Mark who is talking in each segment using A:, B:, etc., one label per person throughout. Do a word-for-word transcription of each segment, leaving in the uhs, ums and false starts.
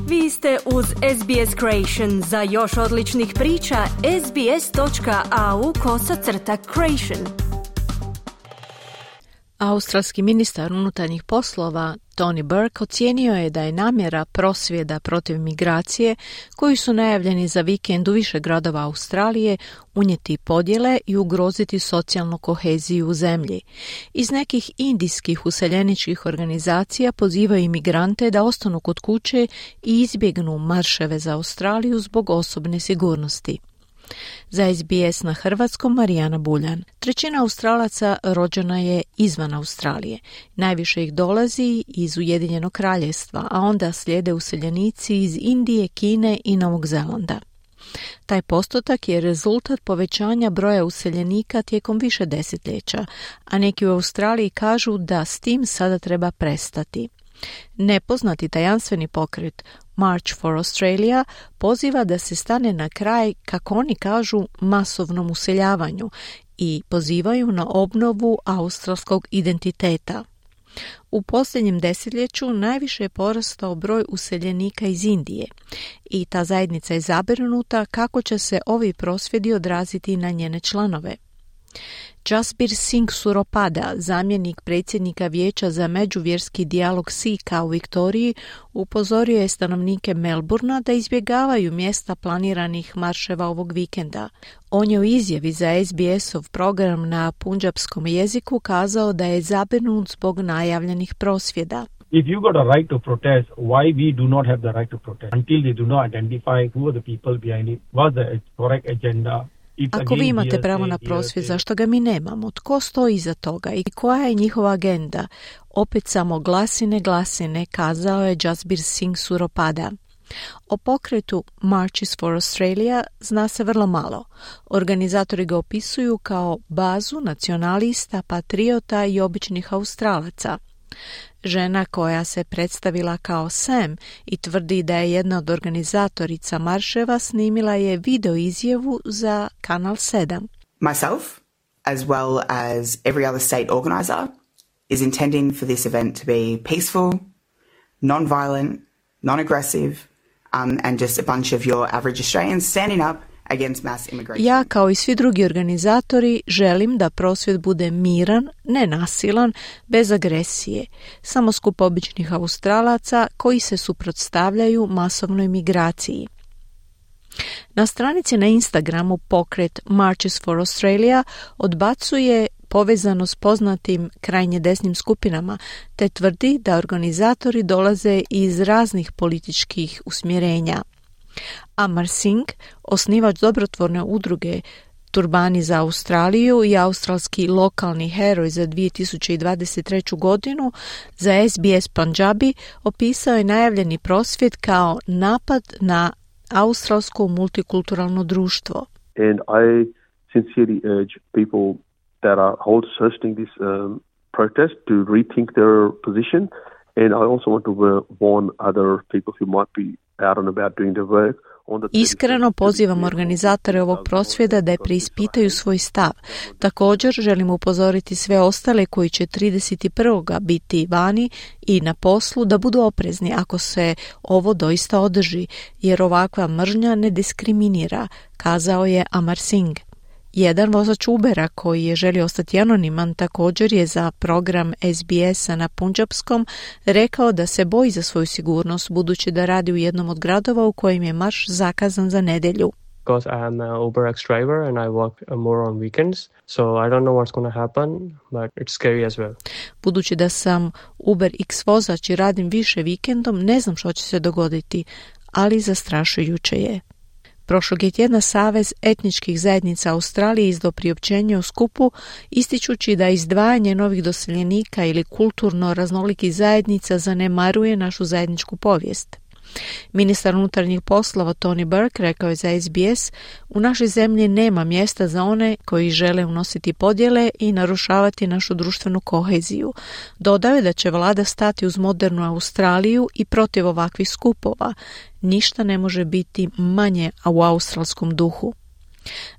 A: Vi ste uz S B S Creation. Za još odličnih priča, sbs.au kosacrta creation.
B: Australski ministar unutarnjih poslova Tony Burke ocijenio je da je namjera prosvjeda protiv migracije, koji su najavljeni za vikend u više gradova Australije, unijeti podjele i ugroziti socijalnu koheziju u zemlji. Iz nekih indijskih useljeničkih organizacija pozivaju imigrante da ostanu kod kuće i izbjegnu marševe za Australiju zbog osobne sigurnosti. Za S B S na hrvatskom Marijana Buljan. Trećina Australaca rođena je izvan Australije. Najviše ih dolazi iz Ujedinjenog kraljevstva, a onda slijede useljenici iz Indije, Kine i Novog Zelanda. Taj postotak je rezultat povećanja broja useljenika tijekom više desetljeća, a neki u Australiji kažu da s tim sada treba prestati. Nepoznati tajanstveni pokret March for Australia poziva da se stane na kraj, kako oni kažu, masovnom useljavanju i pozivaju na obnovu australskog identiteta. U posljednjem desetljeću najviše je porastao broj useljenika iz Indije i ta zajednica je zabrinuta kako će se ovi prosvjedi odraziti na njene članove. Jasbir Singh Suropada, zamjenik predsjednika Vijeća za međuvjerski dijalog Sikha u Viktoriji, upozorio je stanovnike Melbourna da izbjegavaju mjesta planiranih marševa ovog vikenda. On je u izjavi za S B S-ov program na punjabskom jeziku kazao da je zabrinut zbog najavljenih prosvjeda.
C: If you got a right to protest, why we do not have the right to protest until they do not identify who are the people behind it, what's the correct agenda.
B: Ako vi imate pravo na prosvjed, zašto ga mi nemamo? Tko stoji iza toga i koja je njihova agenda? Opet samo glasine, glasine, kazao je Jasbir Singh Suropada. O pokretu Marches for Australia zna se vrlo malo. Organizatori ga opisuju kao bazu nacionalista, patriota i običnih Australaca. Žena koja se predstavila kao Sam i tvrdi da je jedna od organizatorica marševa snimila je video izjavu za Kanal sedam.
D: Myself, as well as every other state organizer, is intending for this event to be peaceful, non-violent, non-aggressive, um, and just a bunch of your average Australians standing up.
B: Ja, kao i svi drugi organizatori, želim da prosvjed bude miran, nenasilan, bez agresije, samo skup običnih Australaca koji se suprotstavljaju masovnoj migraciji. Na stranici na Instagramu pokret Marches for Australia odbacuje povezano s poznatim krajnje desnim skupinama, te tvrdi da organizatori dolaze iz raznih političkih usmjerenja. Amar Singh, osnivač dobrotvorne udruge Turbani za Australiju i australski lokalni heroj za dvije tisuće dvadeset treću godinu, za S B S Punjabi opisao je najavljeni prosvjed kao napad na australsko multikulturalno društvo.
E: And I sincerely urge people that are hosting this um, protest to rethink their position, and I also want to warn other people who might be out and about doing the work.
B: Iskreno pozivam organizatore ovog prosvjeda da je preispitaju svoj stav. Također želim upozoriti sve ostale koji će trideset prvog biti vani i na poslu da budu oprezni ako se ovo doista održi, jer ovakva mržnja ne diskriminira, kazao je Amar Singh. Jedan vozač Ubera koji je želio ostati anoniman također je za program S B S-a na punjabskom rekao da se boji za svoju sigurnost budući da radi u jednom od gradova u kojem je marš zakazan za nedjelju.
F: Because I am an Uber X driver and I work more on weekends, so I don't know what's going to happen, but it's scary as well.
B: Budući da sam Uber X vozač i radim više vikendom, ne znam što će se dogoditi, ali zastrašujuće je. Prošlog je tjedna Savez etničkih zajednica Australije izdao priopćenje o skupu, ističući da izdvajanje novih doseljenika ili kulturno raznolikih zajednica zanemaruje našu zajedničku povijest. Ministar unutarnjih poslova Tony Burke rekao je za S B S: u našoj zemlji nema mjesta za one koji žele unositi podjele i narušavati našu društvenu koheziju. Dodao je da će vlada stati uz modernu Australiju i protiv ovakvih skupova. Ništa ne može biti manje u australskom duhu.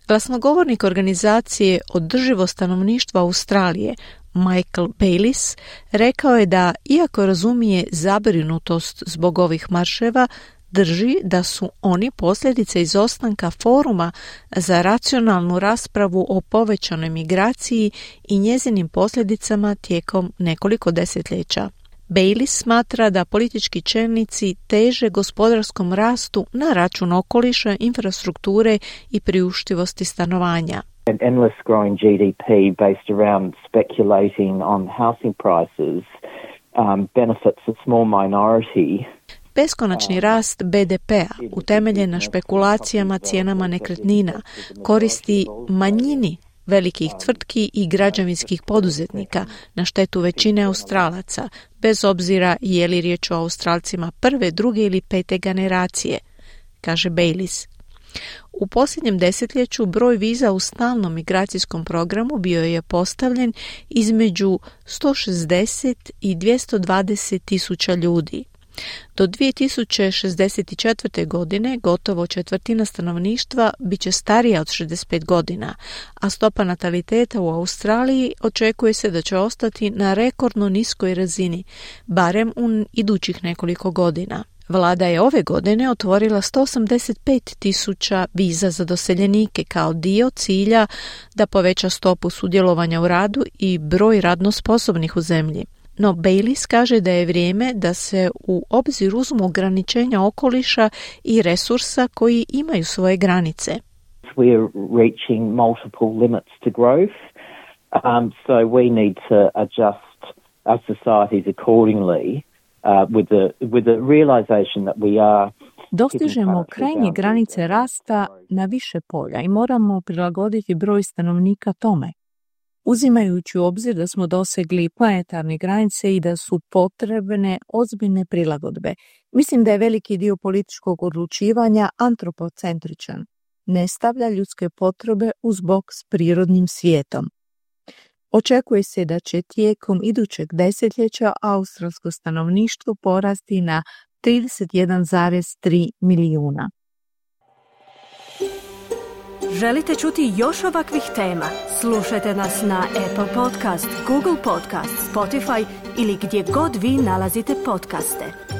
B: Glasnogovornik organizacije Održivo stanovništvo Australije, Michael Bayliss, rekao je da, iako razumije zabrinutost zbog ovih marševa, drži da su oni posljedice izostanka foruma za racionalnu raspravu o povećanoj migraciji i njezinim posljedicama tijekom nekoliko desetljeća. Baylis smatra da politički čelnici teže gospodarskom rastu na račun okoliša, infrastrukture i priuštivosti stanovanja.
G: An endless growing G D P based around speculating on housing prices um, benefits a small minority.
B: Beskonačni rast B D P-a, utemeljen na špekulacijama cijenama nekretnina, koristi manjini velikih tvrtki i građevinskih poduzetnika na štetu većine Australaca, bez obzira je li riječ o Australcima prve, druge ili pete generacije, kaže Baylis. U posljednjem desetljeću broj viza u stalnom migracijskom programu bio je postavljen između sto šezdeset i dvjesto dvadeset tisuća ljudi. Do dvije tisuće šezdeset četvrte. godine gotovo četvrtina stanovništva bit će starija od šezdeset pet godina, a stopa nataliteta u Australiji očekuje se da će ostati na rekordno niskoj razini, barem u idućih nekoliko godina. Vlada je ove godine otvorila sto osamdeset pet tisuća viza za doseljenike kao dio cilja da poveća stopu sudjelovanja u radu i broj radno sposobnih u zemlji. No Baylis kaže da je vrijeme da se u obzir uzmu ograničenja okoliša i resursa koji imaju svoje granice.
G: We are reaching multiple limits to growth, um, so we need to adjust our societies accordingly uh, with the with the realization that we are.
B: Dostižemo krajnje granice rasta na više polja i moramo prilagoditi broj stanovnika tome. Uzimajući u obzir da smo dosegli planetarne granice i da su potrebne ozbiljne prilagodbe. Mislim da je veliki dio političkog odlučivanja antropocentričan. Ne stavlja ljudske potrebe uz bok s prirodnim svijetom. Očekuje se da će tijekom idućeg desetljeća australsko stanovništvo porasti na trideset jedan zarez tri milijuna.
A: Želite čuti još ovakvih tema? Slušajte nas na Apple Podcast, Google Podcast, Spotify ili gdje god vi nalazite podcaste.